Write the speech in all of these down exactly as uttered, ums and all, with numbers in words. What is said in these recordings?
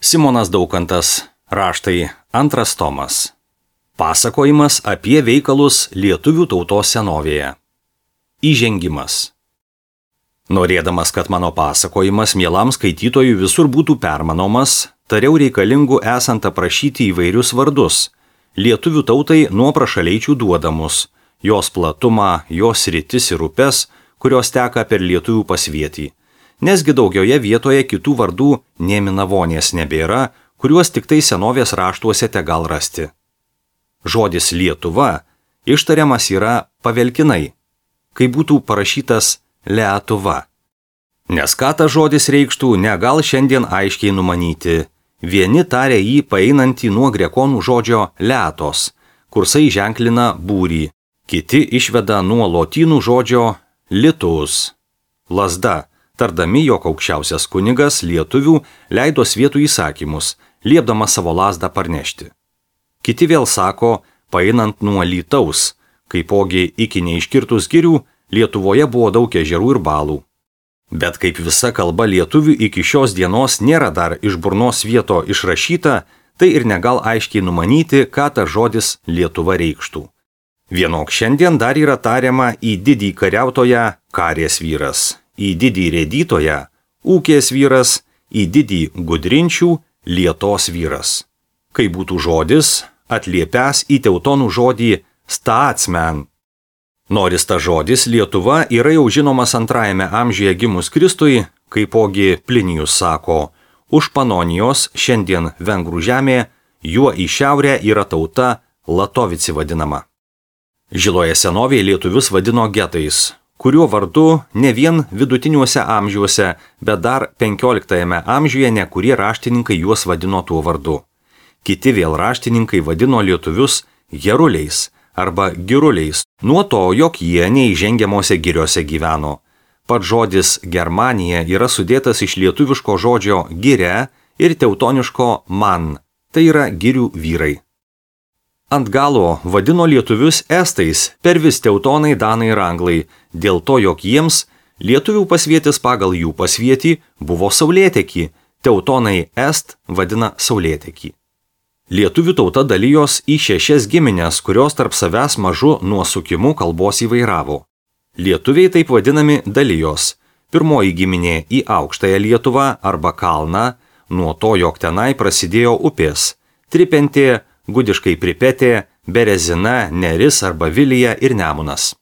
Simonas Daukantas, raštai, antras tomas. Pasakojimas apie veikalus lietuvių tautos senovėje. Įžengimas. Norėdamas, kad mano pasakojimas mielam skaitytojui visur būtų permanomas, tariau reikalingų esant aprašyti įvairius vardus, lietuvių tautai nuo prašaleičių duodamus, jos platumą, jos sritis ir upes, kurios teka per lietuvių pasvietį. Nesgi daugioje vietoje kitų vardų nė minavonės nebėra, kuriuos tik tai senovės raštuose te gal rasti. Žodis Lietuva ištariamas yra pavelkinai, kai būtų parašytas Lietuva. Nes ką tas žodis reikštų, negal šiandien aiškiai numanyti. Vieni taria jį paeinantį nuo grekonų žodžio letos, kursai ženklina būrį, kiti išveda nuo lotynų žodžio litus, lazda, tardami, jog aukščiausias kunigas lietuvių leido svietų įsakymus, liepdamas savo lazdą parnešti. Kiti vėl sako, paeinant nuo lytaus, kaipogi iki neiškirtus girių Lietuvoje buvo daug ežerų ir balų. Bet kaip visa kalba lietuvių iki šios dienos nėra dar iš burnos vieto išrašyta, tai ir negal aiškiai numanyti, ką tas žodis Lietuva reikštų. Vienok šiandien dar yra tariama į didį kariautoją karės vyras, į didį rėdytoją ūkės vyras, į didį gudrinčių lietos vyras. Kai būtų žodis, atliepęs į teutonų žodį statsmen. Noris ta žodis Lietuva yra jau žinomas antrajame amžiuje gimus Kristui, kaipogi Plinijus sako, už Panonijos šiandien vengrų žemė, juo į šiaurę yra tauta Latovici vadinama. Žiloje senovėje lietuvius vadino getais, kuriuo vardu ne vien vidutiniuose amžiuose, bet dar penkioliktajame amžiuje nekurie raštininkai juos vadino tuo vardu. Kiti vėl raštininkai vadino lietuvius geruliais arba giruliais, nuo to, jog jie neįžengiamose giriose gyveno. Pats žodis Germanija yra sudėtas iš lietuviško žodžio giria ir teutoniško man, tai yra girių vyrai. Ant galo vadino lietuvius estais, per vis teutonai, danai ir anglai, dėl to, jog jiems lietuvių pasvietis pagal jų pasvietį buvo saulėtekį, teutonai est vadina saulėtekį. Lietuvių tauta dalijos į šešias giminės, kurios tarp savęs mažu nuosukimu kalbos įvairavo. Lietuviai taip vadinami dalijos. Pirmoji giminė į aukštąją Lietuvą arba kalną, nuo to, jog tenai prasidėjo upės – Tripentė, gudiškai Pripetė, Berezina, Neris arba Vilija ir Nemunas.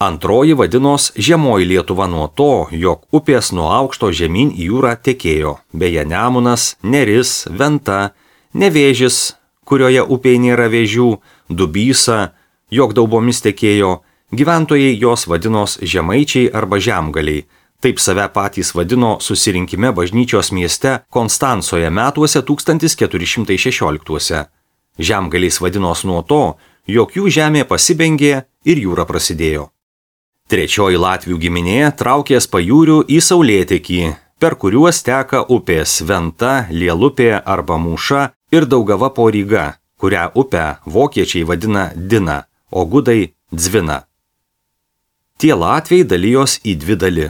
Antroji vadinos žemoji Lietuva nuo to, jog upės nuo aukšto žemyn į jūrą tekėjo, beje Nemunas, Neris, Venta, Nevėžis, kurioje upėje nėra vėžių, Dubysa, jog daubomis tekėjo, gyventojai jos vadinos žemaičiai arba žemgaliai, taip save patys vadino susirinkime bažnyčios mieste Konstancoje metuose tūkstantis keturi šimtai šešioliktuose. Žemgaliais vadinos nuo to, jog jų žemė pasibengė ir jūra prasidėjo. Trečioji Latvių giminė traukės pajūrių į saulėtekį, per kuriuos teka upės Venta, Lielupė arba Mūša ir Daugava po Ryga, kurią upę vokiečiai vadina Dina, o gudai Dzvina. Tie latviai dalijos į dvi dali.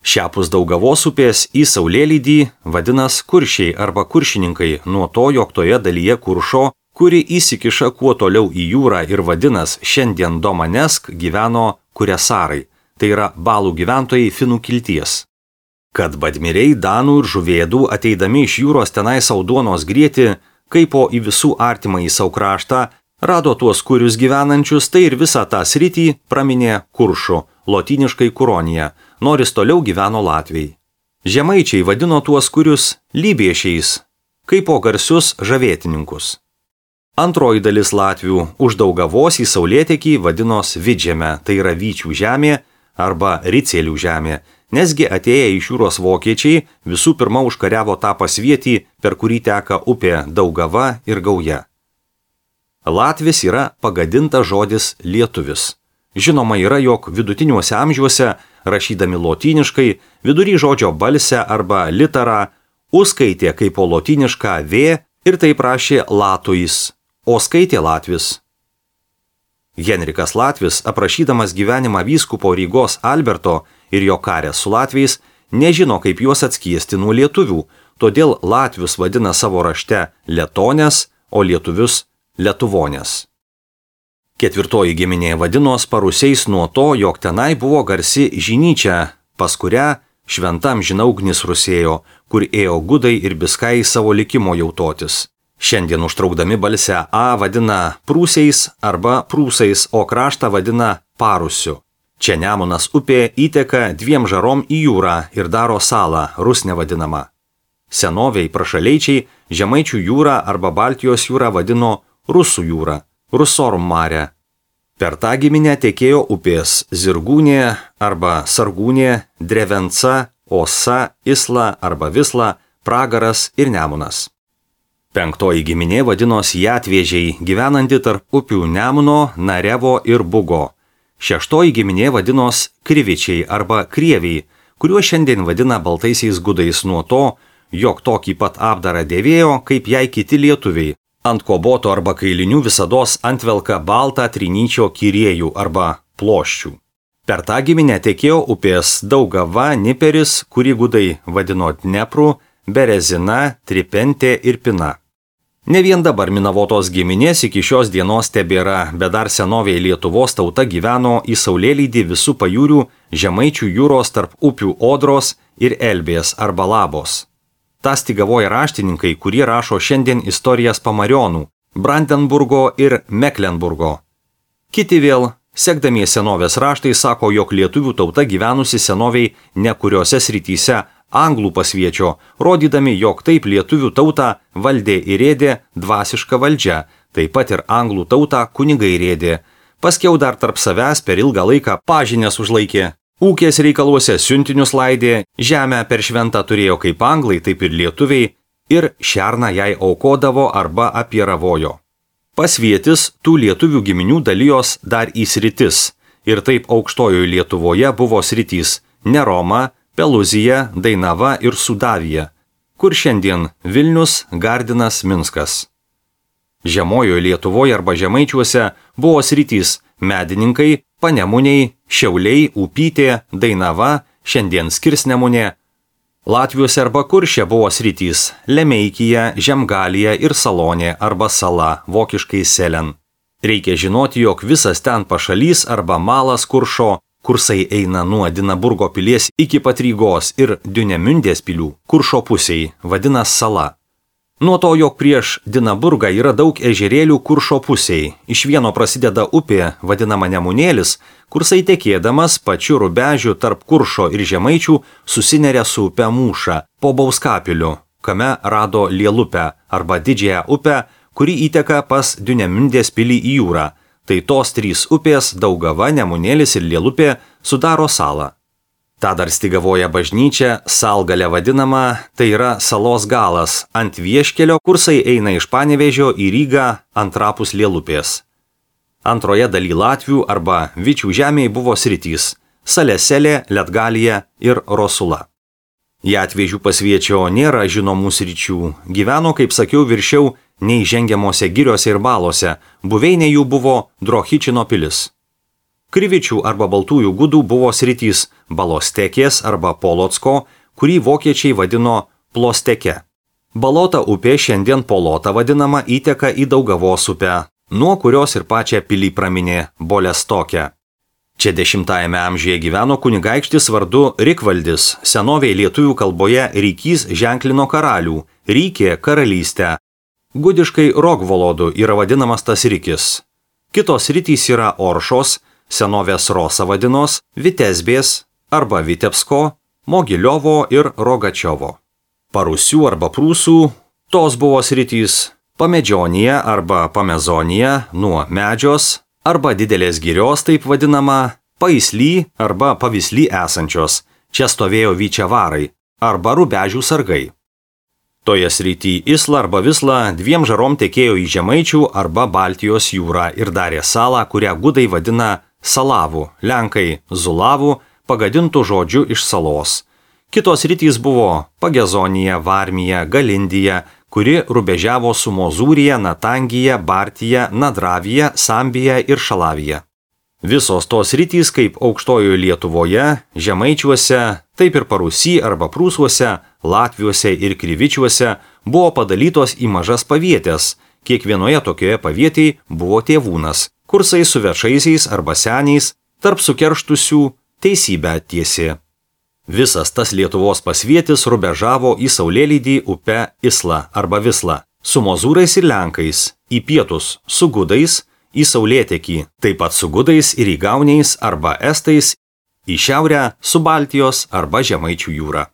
Šiapus Daugavos upės į saulėlydį vadinas kuršiai arba kuršininkai, nuo to, jog toje dalyje kuršo, kuri įsikiša kuo toliau į jūrą ir vadinas šiandien Domanesk, gyveno kuresarai, tai yra balų gyventojai finų kilties. Kad badmiriai danų ir žuvėdų ateidami iš jūros tenai sau duonos grieti, kaipo į visų artimą į savo kraštą, rado tuos kurius gyvenančius, tai ir visą tą sritį praminė kuršu, lotyniškai kuronija, nors toliau gyveno latviai. Žemaičiai vadino tuos kurius lybiešiais, kaipo garsius žavėtininkus. Antroji dalis latvių už Daugavos į saulėtekį vadinos Vidžeme, tai yra Vyčių žemė arba Ricėlių žemė, nesgi atėję iš jūros vokiečiai visų pirma užkariavo tą pasvietį, per kurį teka upė Daugava ir Gauja. Latvis yra pagadintas žodis lietuvis. Žinoma yra, jog vidutiniuose amžiuose, rašydami lotyniškai, vidury žodžio balsę arba litarą, užskaitė kaip po lotynišką V ir taip rašė latuis, o skaitė latvis. Henrikas Latvis, aprašydamas gyvenimą vyskupo Rygos Alberto ir jo karę su latviais, nežino, kaip juos atskiesti nuo lietuvių, todėl latvius vadina savo rašte Letonės, o lietuvius Lietuvonės. Ketvirtoji giminė vadinos Parusiais nuo to, jog tenai buvo garsi žinyčia, pas kurią šventam žinaugnis rusėjo, kur ėjo gudai ir biskai savo likimo jautotis. Šiandien užtraukdami balsę A vadina Prūsiais arba Prūsais, o kraštą vadina Parusiu. Čia Nemunas upė įteka dviem žarom į jūrą ir daro salą, Rusne vadinama. Senoviai prašaleičiai Žemaičių jūrą arba Baltijos jūrą vadino Rusų jūrą, Rusorum mare. Per tą giminę tekėjo upės Zirgūnė arba Sargūnė, Drevenca, Osa, Isla arba Visla, Pragaras ir Nemunas. Penktoji giminė vadinos Jatvėžiai, gyvenanti tarp upių Nemuno, Narevo ir Bugo. Šeštoji giminė vadinos Krivičiai arba Krieviai, kuriuos šiandien vadina baltaisiais gudais nuo to, jog tokį pat apdarą dėvėjo, kaip jai kiti lietuviai. Ant koboto arba kailinių visados antvelka baltą trinyčio kiriejų arba ploščių. Per tą giminę tekėjo upės Daugava, Niperis, kurį gudai vadino Dnepru, Berezina, Tripentė ir Pina. Ne vien dabar Minavotos giminės iki šios dienos tebėra, bet dar senovėje Lietuvos tauta gyveno į saulėlydį visų pajūrių Žemaičių jūros tarp upių Odros ir Elbės arba Labos. Ta stygavoja raštininkai, kurie rašo šiandien istorijas Pamarionų, Brandenburgo ir Meklenburgo. Kiti vėl, sekdami senovės raštai, sako, jog lietuvių tauta gyvenusi senoviai ne kuriuose srityse anglų pasviečio, rodydami, jog taip lietuvių tautą valdė ir rėdė dvasiška valdžia, taip pat ir anglų tautą kunigai rėdė. Paskiau dar tarp savęs per ilgą laiką pažinės užlaikė. Ūkės reikaluose siuntinius laidė, žemę per šventą turėjo kaip anglai, taip ir lietuviai, ir šerną jai aukodavo arba apieravojo. Pasvietis tų lietuvių giminių dalijos dar į sritis, ir taip aukštojoje Lietuvoje buvo sritys Neroma, Peluzija, Dainava ir Sudavija, kur šiandien Vilnius, Gardinas, Minskas. Žemojoje Lietuvoje arba Žemaičiuose buvo sritys Medininkai, Panemuniai, Šiauliai, Upytė, Dainava, šiandien Skirsnemunė. Latviuose arba Kurše buvo sritys Lemeikija, Žemgalija ir Salonė arba Sala, vokiškai Selen. Reikia žinoti, jog visas ten pašalys arba malas Kuršo, kursai eina nuo Dinaburgo pilies iki pat Rygos ir Diunemündės pilių, Kuršo pusiai, vadinas Sala. Nuo to, jog prieš Dinaburgą yra daug ežerėlių Kuršo pusiai, iš vieno prasideda upė, vadinama Nemunėlis, kursai tekėdamas pačiu rubežiu tarp Kuršo ir Žemaičių susineria su upe Mūša po Bauskapiliu, kame rado Lielupę arba Didžiąją upę, kuri įteka pas Diunemündės pilį į jūrą. Tai tos trys upės Daugava, Nemunėlis ir Lielupė sudaro salą. Ta dar stygavoja bažnyčia, Salgalė vadinama, tai yra salos galas, ant vieškelio kursai eina iš Panevėžio į Rygą antrapus Lielupės. Antroje daly Latvių arba Vičių žemėje buvo sritys Saleselė, Letgalija ir Rosula. Jatvėžių pasviečio nėra žinomų sričių, gyveno, kaip sakiau, viršiau neįžengiamose giriose ir balose, buveinė jų buvo Drohičino pilis. Krivičių arba baltųjų gudų buvo sritys Balostekės arba Polocko, kurį vokiečiai vadino Plosteke. Balota upė, šiandien Polota vadinama, įteka į Daugavos upę, nuo kurios ir pačią pilį praminė Bolestoke. Čia dešimtajame amžiuje gyveno kunigaikštis vardu Rikvaldis, senovėje lietuvių kalboje Rykys ženklino karalių, Rykė karalystę. Gudiškai Rogvolodu yra vadinamas tas Rykis. Kitos sritys yra Oršos, senovės Rosa vadinos, Vitesbės arba Vitebsko, Mogiliovo ir Rogačiovo. Parusių arba Prūsų, tos buvo sritys Pamedžionija arba Pamezonija nuo Medžios arba Didelės girios, taip vadinama, Paisly arba Pavisly esančios, čia stovėjo Vyčiavarai arba Rubežių sargai. Toje srity Isla arba Visla dviem žarom tekėjo į Žemaičių arba Baltijos jūrą ir darė salą, kurią gudai vadina Salavų, lenkai Zulavų, pagadintų žodžiu iš salos. Kitos sritys buvo Pagezonija, Varmija, Galindija, kuri rubežiavo su Mozūrija, Natangija, Bartija, Nadravija, Sambija ir Šalavija. Visos tos rytys kaip aukštojoje Lietuvoje, Žemaičiuose, taip ir Parūsy arba Prūsuose, Latviuose ir Krivičiuose buvo padalytos į mažas pavietės. Kiekvienoje tokioje pavietėje buvo tėvūnas, kursai su vešaisiais arba seniais, tarp sukerštusių teisybę tiesė. Visas tas Lietuvos pasvietis rubežavo į saulėlydį upę Islą arba Vislą, su mozūrais ir lenkais, į pietus su gudais, į saulėtekį, taip pat su gudais ir įgauniais arba estais, į šiaurę su Baltijos arba Žemaičių jūra.